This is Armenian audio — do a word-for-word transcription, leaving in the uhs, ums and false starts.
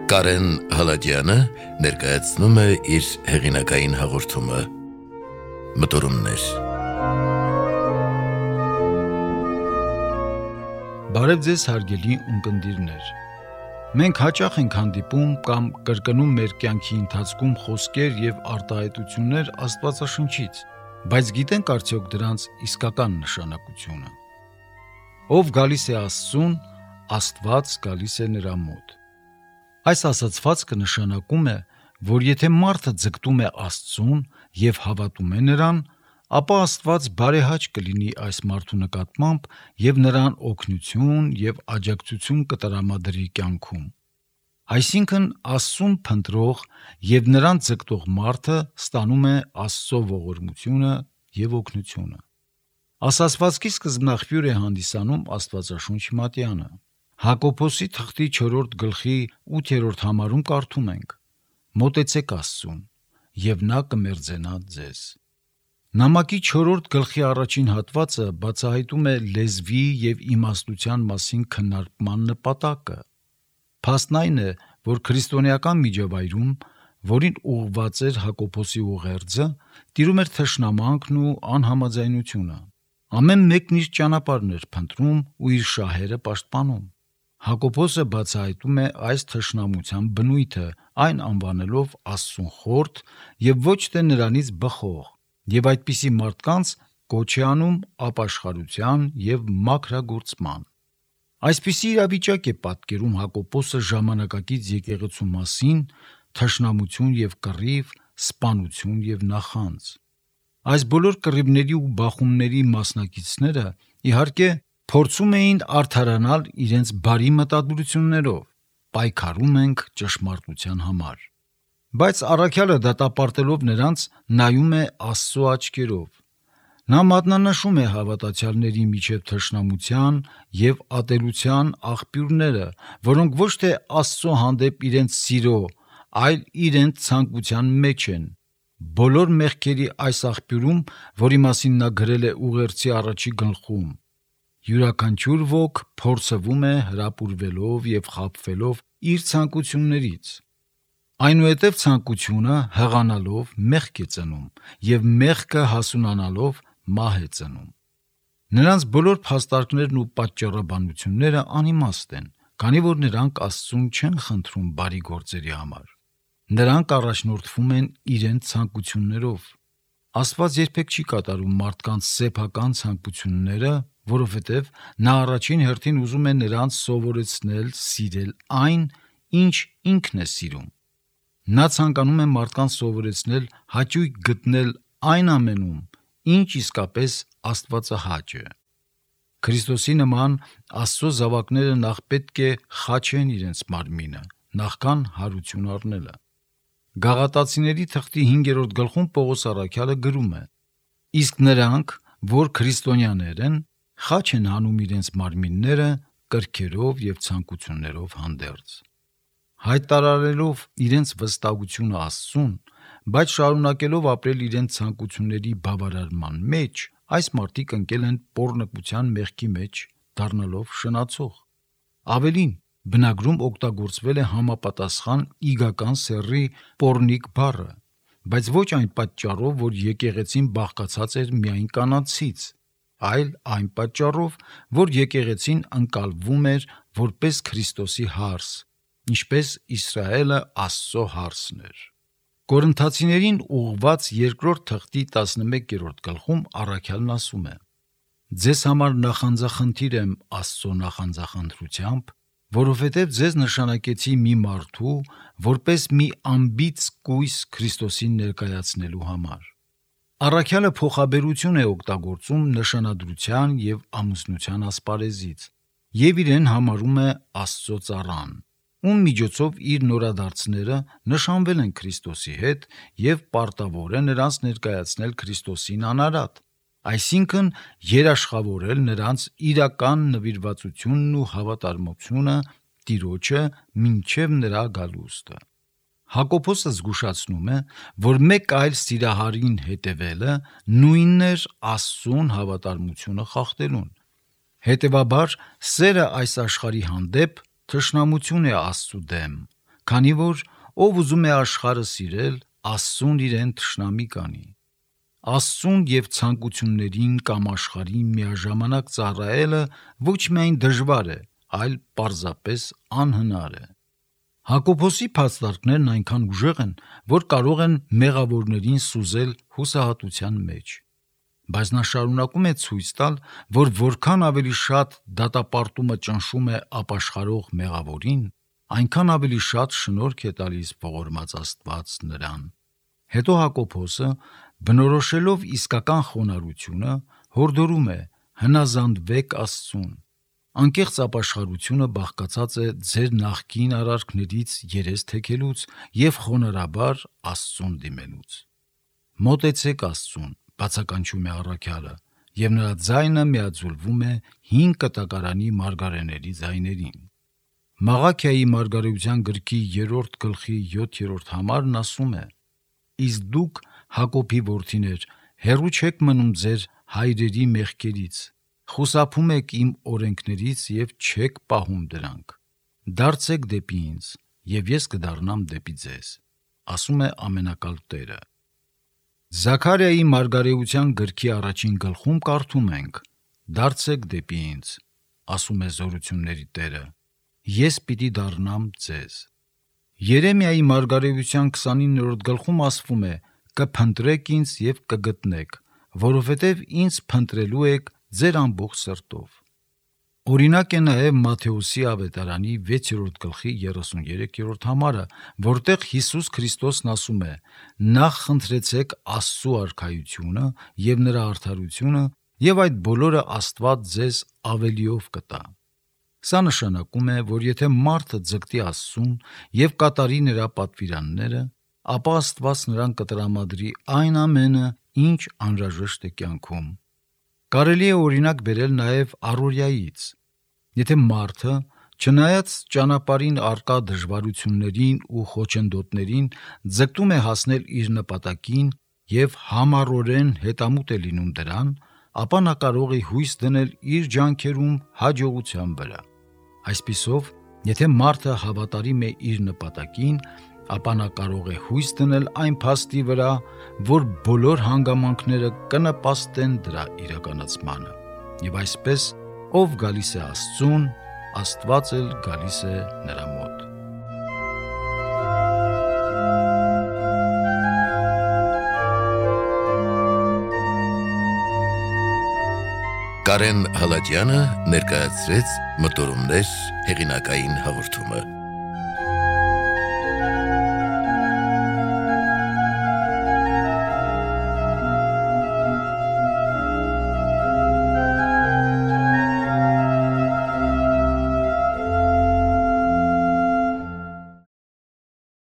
Կարեն Հալաջյանը ներկայացնում է իր հեղինակային հաղորդումը Մտորումներ։ Բարև ձեզ հարգելի ունկնդիրներ։ Մենք հաճախ ենք հանդիպում կամ կրկնում մեր կյանքի ընթացքում խոսքեր եւ արտահայտություններ Աստվածաշնչից, բայց գիտենք արդյոք դրանց իսկական նշանակությունը։ Ով գալիս է Աստծուն, Աստված գալիս է նրա մոտ։ Այս ասացվածքը նշանակում է, որ եթե մարդը ձգտում է Աստծուն եւ հավատում է նրան, ապա Աստված բարեհաճ կլինի այս մարդու նկատմամբ եւ նրան օգնություն եւ աջակցություն կտրամադրի կյանքում։ Այսինքն Աստծուն փնտրող եւ նրան ձգտող մարդը ստանում է Աստծո ողորմությունը եւ օգնությունը։ Ասացվածքի սկզբնաղբյուր է հանդիսանում Աստվածաշունչ Մատյանը։ Հակոբոսի թղթի չորրորդ գլխի ութերորդ համարում կարդում ենք. «Մոտեցեք Աստծուն, եւ նա կմերձենա ձեզ»։ Նամակի չորրորդ գլխի առաջին հատվածը բացահայտում է լեզվի եւ իմաստության մասին քննարկման նպատակը։ Փաստն այն է, որ քրիստոնեական միջավայրում, որին ուղղված էր Հակոբոսի ուղերձը, տիրում էր թշնամանքն ու անհամաձայնությունը։ Ամեն մեկն իր ճանապարհն էր փնտրում ու իր շահերը պաշտպանում։ Հակոբոսը բացահայտում է այս թշնամության բնույթը, այն անվանելով Աստծուն խորթ եւ ոչ թե նրանից բխող, եւ այդպիսի մարդկանց կոչ է անում ապաշխարության եւ մաքրագործման։ Այսպիսի իրավիճակ է պատկերում Հակոբոսը ժամանակակից եկեղեցու մասին, թշնամություն եւ կռիվ, սպանություն եւ նախանձ։ Այս բոլոր կռիվների ու բախումների մասնակիցները, իհարկե, փորձում էին արդարանալ իրենց բարի մտադրություններով, պայքարում ենք ճշմարտության համար։ Բայց առաքյալը դատապարտելով նրանց նայում է Աստծո աչքերով։ Նա մատնանշում է հավատացյալների միջև թշնամության եւ ատելության աղբյուրները, որոնք ոչ թե Աստծո հանդեպ իրենց սիրո, այլ իրենց ցանկության մեջ են։ Բոլոր մեղքերի այս աղբյուրում, որի մասին նա գրել է ուղերձի առաջի գլխում, յուրաքանչյուր ոք փորձվում է հրապուրվելով եւ խաբվելով իր ցանկություններից։ Այնուհետև ցանկությունը հղանալով մեղք է ծնում եւ մեղքը հասունանալով մահ է ծնում։ Նրանց բոլոր փաստարկներն ու պատճառաբանությունները անիմաստ են, քանի որ նրանք Աստծուն չեն խնդրում բարի գործերի համար։ Նրանք առաջնորդվում են իրենց ցանկություններով։ Աստված երբեք չի կատարում մարդկանց սեփական ցանկությունները, որովհետև նա առաջին հերթին ուզում է նրանց սովորեցնել սիրել այն, ինչ ինքն է սիրում։ Նա ցանկանում է մարդկանց սովորեցնել հաճույք գտնել այն ամենում, ինչ իսկապես աստվածահաճ է։ Քրիստոսի նման Աստծո զավակները նախ պետք է խաչեն իրենց մարմինը, նախքան հարություն առնելը։ Գաղատացիների թղթի հինգերորդ գլխում Պողոս առաքյալը գրում է. «Իսկ նրանք, որ քրիստոնյաներ են, խաչ են հանում իրենց մարմինները կրքերով եւ ցանկություններով հանդերձ»։ Հայտարարելով իրենց վստահությունը Աստծուն, բայց շարունակելով ապրել իրենց ցանկությունների բավարարման մեջ, այս մարդիկ ընկել են պոռնկության մեղքի մեջ, դառնալով շնացող։ Ավելին, բնագրում օգտագործվել է համապատասխան իգական սեռի պոռնիկ բառը, բայց ոչ այն պատճառով, որ եկեղեցին բաղկացած էր միայն կանացից, այլ այն պատճառով, որ եկեղեցին ընկալվում էր որպես Քրիստոսի հարս, ինչպես Իսրայելը Աստծո հարսն էր։ Կորինթացիներին ուղղված երկրորդ թղթի տասնմեկերորդ գլխում առաքյալն ասում է. «Ձեզ համար նախանձախնդիր եմ Աստծո նախանձախնդրությամբ, որովհետև ձեզ նշանակեցի մի մարդու, որպես մի անբիծ կույս Քրիստոսին ներկայացնելու համար»։ Առաքյալը փոխաբերություն է օգտագործում նշանադրության եւ ամուսնության ասպարեզից եւ իրեն համարում է Աստծո ծառան, ում միջոցով իր նորադարձները նշանվել են Քրիստոսի հետ եւ պարտավոր է նրանց ներկայացնել Քրիստոսին անարատ, այսինքն երաշխավորել նրանց իրական նվիրվածությունն ու հավատարմությունը Տիրոջը մինչև նրա գալուստը։ Հակոբոսը զգուշացնում է, որ մեկ այլ սիրահարին հետևելը նույնն էր Աստծուն հավատարմությունը խախտելուն։ Հետևաբար, սերը այս աշխարհի հանդեպ թշնամություն է Աստծու դեմ, քանի որ ով ուզում է աշխարհը սիրել, Աստծուն իրեն թշնամի կանի։ Աստծուն եւ ցանկություններին կամ աշխարհին միաժամանակ ծառայելը ոչ միայն դժվար է, այլ պարզապես անհնար է։ Հակոբոսի փաստարկներն այնքան ուժեղ են, որ կարող են մեղավորներին սուզել հուսահատության մեջ։ Բայց նա շարունակում է ցույց տալ, որ որքան ավելի շատ դատապարտումը ճնշում է ապաշխարող մեղավորին, այնքան ավելի շատ շնորհք է տալիս ողորմած Աստված նրան։ Հետո Հակոբոսը, բնորոշելով իսկական խոնարհությունը, հորդորում է. հնազանդվեք Աստծուն։ Անկեղծ ապաշխարությունը բաղկացած է ձեր նախկին արարքներից երես թեքելուց եւ խոնարհաբար Աստծուն դիմելուց։ Մոտեցեք Աստծուն, բացականչում է առաքյալը, եւ նրա ձայնը միաձուլվում է հին կտակարանի մարգարեների ձայներին։ Մաղաքիայի մարգարեության գրքի երրորդ գլխի յոթերորդ համարն ասում է. Իսկ դուք, Հակոբի որդիներ, հեռու չեք մնում ձեր հայրերի մեղքերից, խուսափում եք իմ օրենքներից եւ չեք պահում դրանք։ Դարձեք դեպի ինձ, եւ ես կդառնամ դեպի ձեզ, ասում է ամենակալ Տերը։ Զաքարիայի մարգարեության գրքի առաջին գլխում կարդում ենք. Դարձեք դեպի ինձ, ասում է զորությունների Տերը, ես պիտի դառնամ ձեզ։ Երեմիայի մարգարեության քսանիններորդ գլխում ասվում է. կփնտրեք ինձ եւ կգտնեք, որովհետեւ ինձ փնտրելու եք ձեր ամբողջ սրտով։ Օրինակ է նաև Մատթեոսի ավետարանի վեցերորդ գլխի երեսուներեքերորդ համարը, որտեղ Հիսուս Քրիստոսն ասում է. նախ խնդրեցեք Աստծու արքայությունը եւ նրա արդարությունը, եւ այդ բոլորը Աստված ձեզ ավելիով կտա։ Սա նշանակում է, որ եթե մարդը ձգտի Աստծուն եւ կատարի նրա պատվիրանները, ապա Աստված նրան կտրամադրի այն ամենը, ինչ անհրաժեշտ է կյանքում։ Կարելի է օրինակ բերել նաև առօրյայից։ Եթե մարդը, չնայած ճանապարհին առկա դժվարություններին ու խոչընդոտներին, ձգտում է հասնել իր նպատակին եւ համառորեն հետամուտ է լինում դրան, ապա նա կարող է հույս դնել իր ջանքերում հաջողության վրա։ Այսպիսով, եթե մարդը հավատարիմ է իր նպատակին, ապա նա կարող է հույս դնել այն փաստի վրա, որ բոլոր հանգամանքները կնպաստեն դրա իրականացմանը։ Եվ այսպես, ով գալիս է Աստծուն, Աստված էլ գալիս է նրա մոտ։ Կարեն Հալաջյանը ներկայացրեց Մտորումներ հեղինակային հաղորդումը։